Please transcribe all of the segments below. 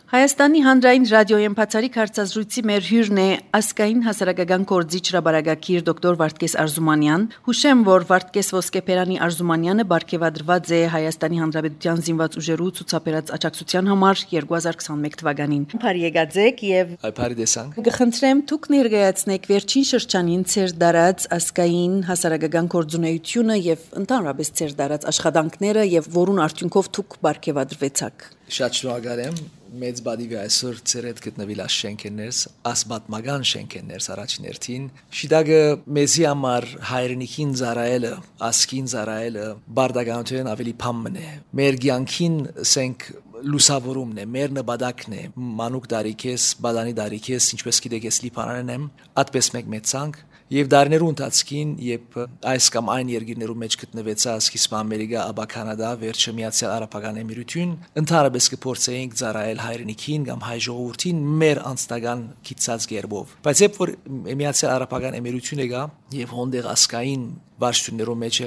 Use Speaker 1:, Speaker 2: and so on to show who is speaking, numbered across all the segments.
Speaker 1: Հայաստանի հանրային ռադիոյի բացառիկ հարցազրույցի մեր հյուրն է ազգային հասարակական գործիչ հրաբարակագիր դոկտոր Վարդգես Արզումանյան։ Հուշեմ, որ Վարդգես Ոսկեփերանի Արզումանյանը բարգեւադրված է Հայաստանի Հանրապետության զինված ուժերու ցուցաբերած աջակցության համար 2021 թվականին։ Բարի եկածեք եւ
Speaker 2: Բարի տեսանք։
Speaker 1: Կխնդրեմ դուք ներկայացնեք վերջին շրջանին ցեր դարած ազգային հասարակական գործունեությունը եւ ընդհանրապես ցեր դարած աշխատանքները եւ որուն արդյունքով դուք բարգեւադրվեցաք։
Speaker 2: Շատ շնորհակալ եմ մեծ բադիվի այսօր ցերետ գտնվել շենքերներս ասբատմական շենքերներս առաջներթին շիդագը մեզի համար հայրենիքին զարայելը ասկին զարայելը բարդականություն ավելի փամն է մեր ցանկին սենք լուսավորումն է մեր նպատակն է մանուկ դարիքես բադանի դարիքես ինչպես գիտեք ես լիբանանն եմ այդպես մեծ ցանկ Եվ դարներու ընթացքին, երբ այս կամ այն երկիրներու մեջ գտնվեցա սկիզբ Ամերիկա, ապա Կանադա, վերջը Միացյալ Արաբական Էմիրություն, ընդհանրապես կփորձեինք ծառայել հայրենիքին կամ հայ ժողովրդին մեր անձնական քիծած գերբով։ Բայց երբ որ Միացյալ Արաբական Էմիրություն եկա եւ հոնդեղ ասկային վարչություններու մեջ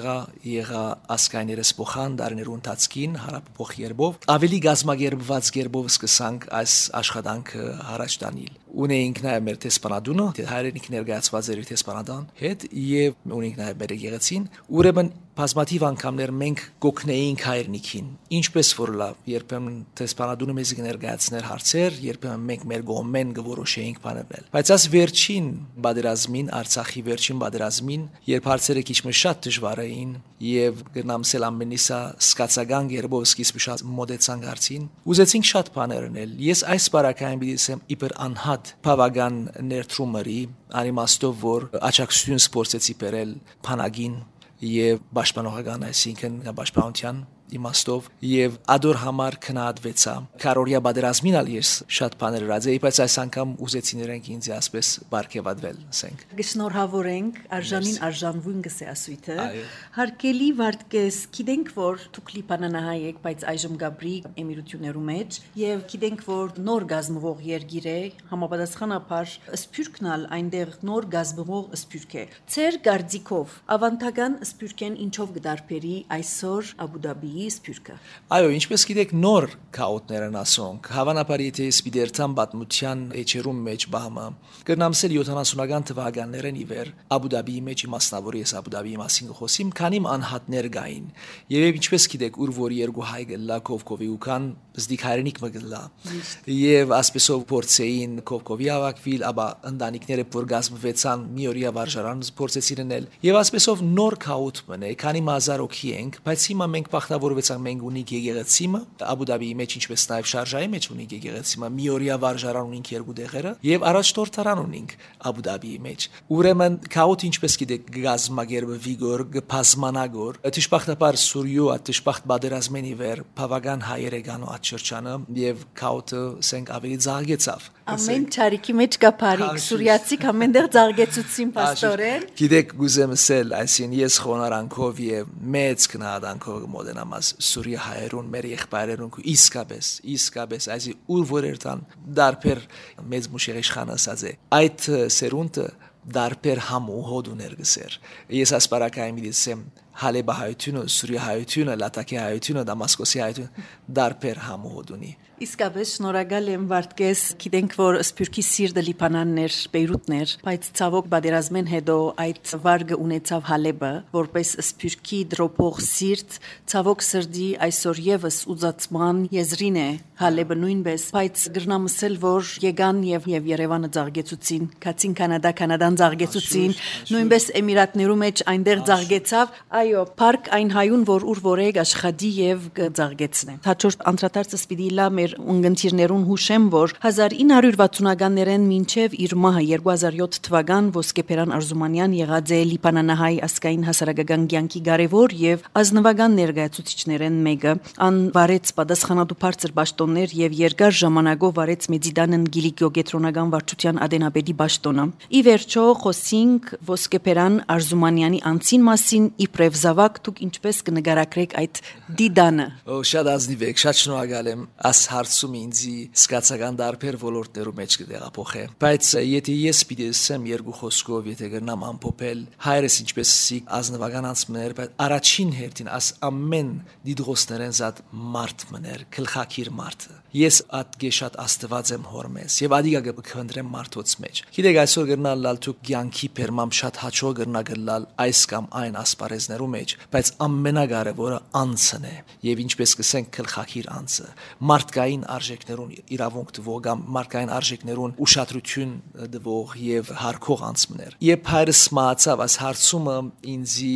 Speaker 2: եղա ասկայներս փոխան դարներու ընթացքին հարաբերող երբով ավելի գազմագերբված երբով սկսանք այս աշխատանքը առաջ տանել ունեինք նաև մեր տեսփանադունը հայրենիք ներկայացված էր տեսփանադան հետ եւ ունեինք նաև մեր եկեղեցին ուրեմն բազմաթիվ անգամներ մենք գոքնեինք հայրենիքին ինչպես որ լավ երբեմն տեսփանադունը մեզ ներկայացներ հարցեր երբեմն մենք մեր գոմեն գորոշեինք բանել բայց այս վերջին բادرազմին Արցախի վերջին բادرազմին երբ հարցերը քիչ շատ դժվար էին եւ գնամսել ամենիսա սկացական երբով սկիզբ շատ մոդեցան հարցին ուզեցինք շատ բաներ անել ես այս բարակային բիզնեսեմ իբր անհատ բավական ներդրումերի անիմաստով որ աջակցություն սպորտեցի բերել փանագին եւ պաշտպանողական այսինքն պաշտպանության իմաստով եւ ադոր համար քննադվեցա կարորիա բادرազմին ալ ես շատ բաներ ռադեի բայց այս անգամ ուզեցի նրանք ինձ ասպես բարգեւադրել ասենք
Speaker 1: Գշնորհավորենք արժանին արժանվուն գսե ասույթը հարկելի Վարդգես գիտենք որ դուք լիբանանահայ եք բայց այժմ գաբրի էմիրություններու մեջ եւ գիտենք որ նոր գազմվող երգիր է համապատասխանաբար սփյուռքնալ այնտեղ նոր գազմվող սփյուռք է ցեր գարձիկով ավանդական սփյուռքեն ինչով գդարբերի այսօր Աբու Դաբի Սփյուռքը
Speaker 2: Այո, ինչպես գիտեք, նոր քաոտներ են ասոնք։ Հավանաբար եթե սպիդերտան պատմության էջերում մեջ բահմը կրնամսել 70-ական թվականներն ի վեր Աբու Դաբիի մեջ մասնավորի ես Աբու Դաբիի մասին խոսիմ, քանի անհատներ գային։ Եվ ինչպես գիտեք, ուր որ երկու հայ գլա Կովկովի ուքան զդիկ հայրենիք մգլա։ Եվ ասպեսով փորձեին Կովկովի ավակվիլ, ապա ընտանիքները որ գազմվեցան մի օրյա վարժարան փորձեցին անել։ Եվ ասպեսով նոր քաոտ մնե, քանի մազար օքի ենք, բայց հիմա մենք բախտավորվեցանք մենք ունենք եկեղեցիմը Աբու Դաբիի մեջ ինչպես նաև շարժայի մեջ ունենք եկեղեցիմը մի օրյա վարժարան ունենք երկու դեղերը եւ առաջնորդարան ունենք Աբու Դաբիի մեջ ուրեմն քաոտ ինչպես գիտեք գազմագերբը վիգոր գփազմանագոր դժբախտաբար Սուրիո դժբախտ բادرազմենի վեր բավական հայերեգանո աչրջանը եւ քաոտը սենք ավելի զարգեցավ
Speaker 1: ամեն ճարիքի մեջ կա բարիք սուրիացիք ամենտեղ զարգեցուցին պաստորեն
Speaker 2: գիտեք գուզեմ ասել այսին ես խոնարանքով եւ մեծ քնահանդանքով մոդենամաս Սուրիա հայերուն մեր եղբայրերուն իսկապես այսի ուր որերտան դարբեր մեծ մուշերիշխան ասած է այդ սերունդը դարբեր համու հոդուներ գսեր ես ասպարակային միդսեմ Հալեբա հայությունը Սուրիա հայությունը Լատակի հայությունը Դամասկոսի հայությունը դարբեր համու հոդունի
Speaker 1: Իսկապես շնորհակալ եմ Վարդգես գիտենք որ Սփյուռքի սիրտը Լիբանաններ Բեյրութներ բայց ցավոք բادرազմեն հետո այդ վարգը ունեցավ Հալեբը որպես Սփյուռքի դրոփող սիրտ ցավոք սրդի այսօր եւս ուզածման եզրին է Հալեբը նույնպես բայց գրնամսել որ եկան եւ Երևանը զարգեցուցին Քացին Կանադան զարգեցուցին նույնպես Էմիրատներու մեջ այնտեղ զարգեցավ այո парք այն հայուն որ ուր որեկ աշխատի եւ զարգեցնե հաջորդ անդրադարձը սպիտի լա մեր ունգընտիրներուն հուշեմ որ 1960-ականներեն մինչև իր մահը 2007 թվական Ոսկեփերան Արզումանյան եղած է Լիբանանահայ ասկային հասարակական կյանքի կարևոր եւ ազնվական ներկայացուցիչներեն մեկը ան վարեց պատասխանատու բարձր պաշտոններ եւ երկար ժամանակով վարեց Մեծիդանն Գիլիկիո գետրոնական վարչության ադենապետի պաշտոնը ի վերջո խոսինք Ոսկեփերան Արզումանյանի անցին մասին իբրև եւ զավակ դուք ինչպես կնկարագրեք այդ դիդանը։
Speaker 2: Շատ ազնիվ եք, շատ շնորհակալ եմ աս հարցում ինձի սկացական դարբեր ոլորտներու մեջ կդեղափոխե։ Բայց եթե ես պիտի ասեմ երկու խոսքով, եթե գնամ ամփոփել, հայրս ինչպես ազնվական անցմներ, բայց առաջին հերթին աս ամեն դիդրոսներեն զատ մարդ մներ, քլխակիր մարդը։ Ես ատգե շատ աստված եմ հորմես եւ ադիգա կխնդրեմ մարդոց մեջ։ Գիտեք այսօր գրնալ լալ դուք ցանկի պերմամ շատ հաճո գրնա գլալ այս կամ այն ասպարեզներու մեջ, բայց ամենակարևորը անցն է եւ ինչպես կսենք քլխակիր անցը մարդկային արժեքներուն իրավունք տվող կամ մարդկային արժեքներուն ուշադրություն տվող եւ հարկող անցմներ։ Երբ հայրս մահացավ, այս հարցումը ինձի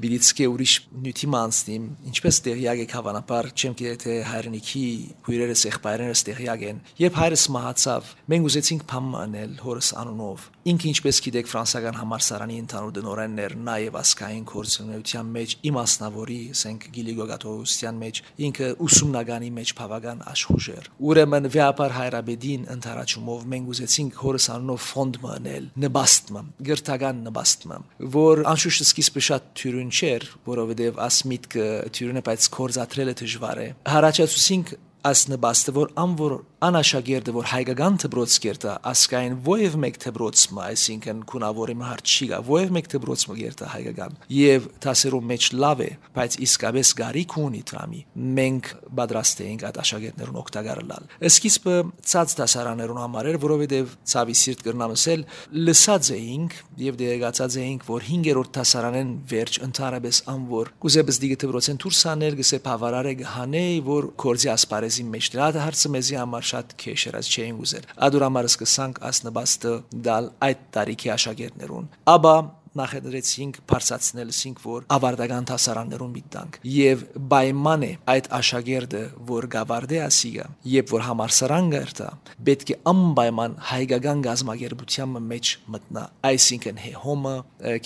Speaker 2: բիլիցկե ուրիշ նյութի մանցնիմ, ինչպես տեղյակ եք հավանաբար, չեմ գիտե թե հայրենիքի հյուրերս եղբայրներս տեղյակ են։ Երբ հայրս մահացավ, մենք ուզեցինք բամ անել հորս անունով։ Ինքը ինչպես գիտեք ֆրանսիական համալսարանի ընդհանուր դնորեններ նաեւ ասկային կորցունեության մեջ իմաստնավորի, ասենք Գիլիգոգատովստյան մեջ ինքը ուսումնագանի մեջ բավական աշխուժեր։ Ուրեմն վեապար հայրաբեդին ընթարաճումով մենք ուզեցինք հորս անունով ֆոնդ մանել, նպաստմը, գրթական նպաստմը, որ անշուշտ սկիզբը շատ թյուրուն չէր, որովհետեւ ասմիտքը թյուրուն է, բայց կորզատրելը դժվար է։ Հարաճացուցինք ասնբաստը որ անվոր անաշագերտը որ հայկական դբրոց կերտա ասկային ովև մեկ դբրոցը այսինքն կունավորի հարց չի գա ովև մեկ դբրոցը կերտա հայկական եւ տասերու մեջ լավ է բայց իսկապես գարիք ունի դրամի մենք պատրաստ էինք այդ աշակերտներուն օգտագործել սկիզբը ցած դասարաներուն համար էր որովհետեւ ցավի սիրտ կրնամսել լսած էինք եւ դերեկացած էինք որ 5-րդ դասարանեն վերջ ընդհանրապես անվոր կուզեբս դիգը դբրոցեն դուրսանել գսե բավարար է գհանե որ կորզի ասպարեզ մեջ դրա հարցը մեզի համար շատ քեշ էր as չէին ուզել ադուրամարս կսանք ասնբաստը դալ այդ տարիքի աշակերտներուն ապա նախադրեցինք բարձրացնել սինք որ ավարտական դասարաններում միտանք եւ պայման է այդ աշակերտը որ գավարդե ասիգա եւ որ համալսարան գերտա պետք է անպայման հայկական գազམ་ագերբության մեջ մտնա այսինքն հոմը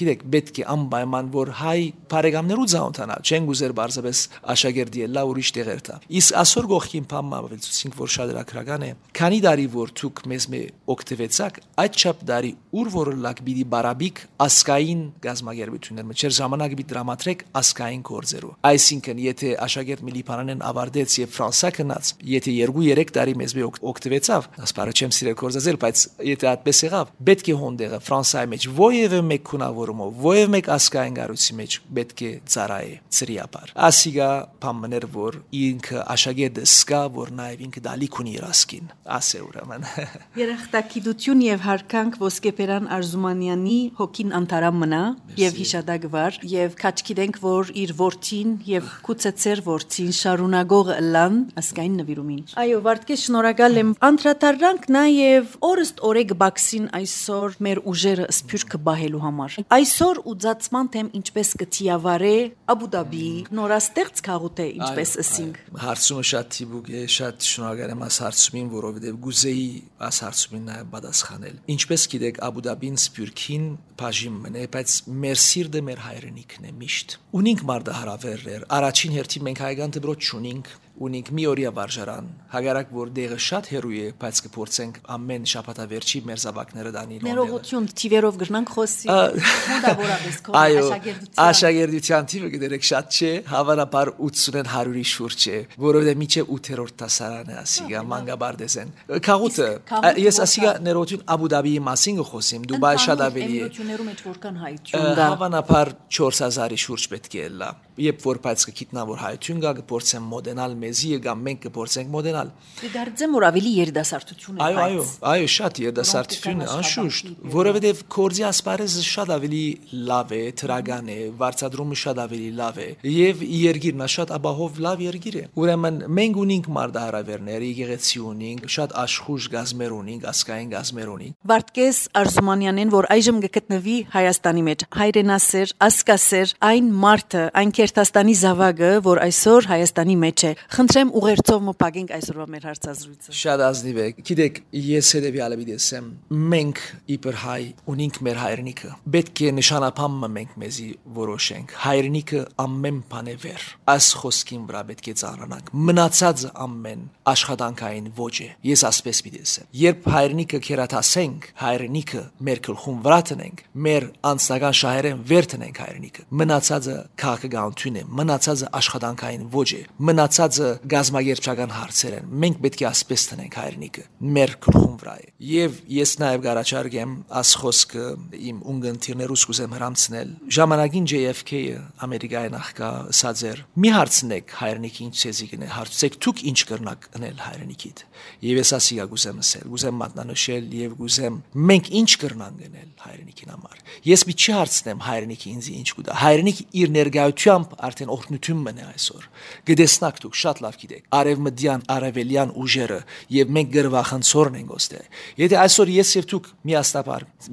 Speaker 2: գիտեք պետք է անպայման որ հայ բարեկամներու ցանոթանա չեն գուզեր բարձրապես աշակերտի լա ուրիշ տեղերտա իսկ ասոր գողքին փամավեցինք որ շատ դրական է քանի դարի որ ցուկ մեզ մե օկտեվեցակ այդ չափ դարի ուր որ լակ բիդի բարաբիկ ասկա գազམ་ագերբություններ մջեր ժամանակ բի դրամատրեք ասկային կորձերու այսինքն եթե աշակերտ միլիպանանեն ավարտեց եւ ֆրանսա կնաց եթե 2-3 տարի մեզ մի օկտեվեցավ ասպարը չեմ սիրել կորձել բայց եթե այդպես եղավ պետք է հոնդեղը ֆրանսայի մեջ ովև մեկ քունավորումով ովև մեկ ասկային գարուցի մեջ պետք է ծարայ ծրիապար ասիգա փամներ որ ինքը աշակերտը սկա որ նաեւ ինքը դալիք ունի իրասկին ասե ուրեմն
Speaker 1: երախտագիտություն եւ հարկանք ոսկեփերան Արզումանյանի հոգին անտարամ մնա եւ հիշադակվար եւ քաչ գիտենք որ իր որդին եւ կուցեցեր որդին շարունակող լան ասկային նվիրումին այո վարդկես շնորհակալ եմ անդրադառնանք նաեւ օրստ օրեկ բաքսին այսօր մեր ուժերը սփյուռքը բահելու համար այսօր ուծացման թեմ ինչպես կթիավարե Աբուդաբի նորաստեղծ քաղուտ է ինչպես ասինք
Speaker 2: հարցումը շատ թիբուկ է շատ շնորհակալ եմ աս հարցումին որովհետեւ գուզեի աս հարցումին նաեւ պատասխանել ինչպես գիտեք Աբուդաբին սփյուռքին բաժին մնե բայց մեր սիրտը մեր հայրենիքն է միշտ ունենք մարդահարավերներ առաջին հերթին մենք հայկական դպրոց չունենք ունենք մի օրյա վարժարան հագարակ որ դեղը շատ հերույ է բայց կփորձենք ամեն շաբաթավերջի մեր զավակները դանի
Speaker 1: ներողություն թիվերով գրնանք խոսի մոտավորապես քո
Speaker 2: աշակերտության թիվը գիտեք շատ չէ հավանաբար 80-ն 100-ի շուրջ է որովհետեւ միջև 8-րդ դասարանը ասիգա մանգաբարդեսեն քաղուտը ես ասիգա ներողություն Աբուդաբիի մասին խոսիմ Դուբայ շատ ավելի է
Speaker 1: մեջ որքան հայություն կա
Speaker 2: հավանաբար 4000-ի շուրջ պետք է լա երբ որ բայց կգիտնա որ հայություն կա կփորձեմ մոդենալ մեզի կամ մենք կփորձենք մոդենալ
Speaker 1: դարձեմ որ ավելի երդասարտություն է
Speaker 2: այո շատ երդասարտություն է անշուշտ որովհետև կորձի ասպարեզը շատ ավելի լավ է թրագան է վարչադրումը շատ ավելի լավ է եւ երգիրն շատ աբահով լավ երգիր է ուրեմն մենք ունենք մարդահարավերներ եկեղեցի ունենք շատ աշխուժ գազմեր ունենք ասկային գազմեր ունենք
Speaker 1: Վարդկես Արզումանյանեն որ այժմ գտնվի Հայաստանի մեջ հայրենասեր ասկասեր այն մարդը այն Երթաստանի զավակը, որ այսօր Հայաստանի մեջ է։ Խնդրեմ ուղերձով մոփագենք այսօրվա մեր հարցազրույցը։
Speaker 2: Շատ ազնիվ է։ Գիտեք, ես հետևյալը դիտեմ։ Մենք իբր հայ ունենք մեր հայրենիքը։ Պետք է նշանապամը մենք մեզի որոշենք։ Հայրենիքը ամեն բան է վեր։ Այս խոսքին վրա պետք է ծանրանանք։ Մնացածը ամեն աշխատանքային ոչ է։ Ես ասպես դիտեմ։ Երբ հայրենիքը քերաթասենք, հայրենիքը մեր գլխում վրա տնենք, մեր անձնական շահերեն վեր տնենք հայրենիքը։ Մնացածը քաղաքականություն է, մնացածը աշխատանքային ոչ է, մնացածը գազագերբչական հարցեր են։ Մենք պետք է ասպես տնենք հայրենիքը մեր գլխում վրա է։ Եվ ես նաև գարաչարգեմ աս խոսքը իմ ունգընտիրներուս կուզեմ հրամցնել։ Ժամանակին JFK-ը Ամերիկայի նախկա ասած էր՝ մի հարցնեք հայրենիքին ցեզի գնե, հարցեք դուք ինչ կրնակ անել հայրենիքիդ։ Եվ ես ասիա գուզեմ ասել, գուզեմ մատնանշել եւ գուզեմ մենք ինչ կրնանք գնել հայրենիքին համար։ Ես մի չի հարցնեմ հայրենիքի ինձ ինչ կուտա։ Հայրենիք իր ներգայությամբ արդեն օրհնություն մնա այսօր։ Գտեսնակ դուք շատ լավ գիտեք արևմտյան արևելյան ուժերը եւ մենք գրվախնցորն ենք ոստե։ Եթե այսօր ես եւ դուք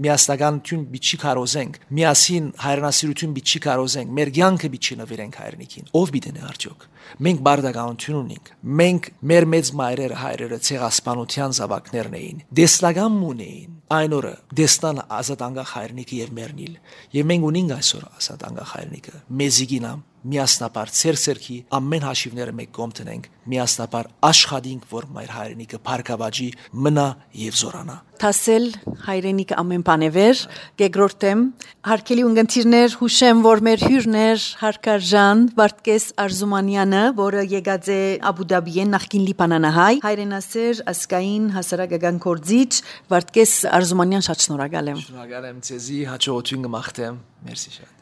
Speaker 2: միասնականություն բիչի կարոզենք, միասին հայրենասիրություն բիչի կարոզենք, մեր կյանքը բիչի նվիրենք հայրենիքին, ով բիդենե արդյոք։ Մենք բարդականություն ունենք։ Մենք մեր մեծ մայրերը հայրերը ցեղասպանության զավակներն էին։ Դեսլագամ ունեին։ Այն օրը դեսնան ազատ անկախ հայրենիքը եւ մերնիլ։ Եվ մենք ունենք այսօր ազատ անկախ հայրենիքը։ Մեզիգինամ միասնապար ցերսերքի ամեն հաշիվները մեկ կողմ տնենք, միասնապար աշխատենք, որ մեր հայրենիքը բարգավաճի մնա եւ զորանա։
Speaker 1: Թասել հայրենիքը ամեն բան է վեր, գեգրորտեմ, հարկելի ունգընտիրներ, հուշեմ, որ մեր հյուրներ Հարկարժան Վարդգես Արզումանյանը, որը եկած է Աբու Դաբիեն նախկին լիբանանահայ, հայրենասեր ասկային հասարակական գործիչ Վարդգես Արզումանյան, շատ շնորհակալ եմ։
Speaker 2: Շնորհակալ եմ ցեզի, հաջողություն կմաղթեմ։ Մերսի շատ։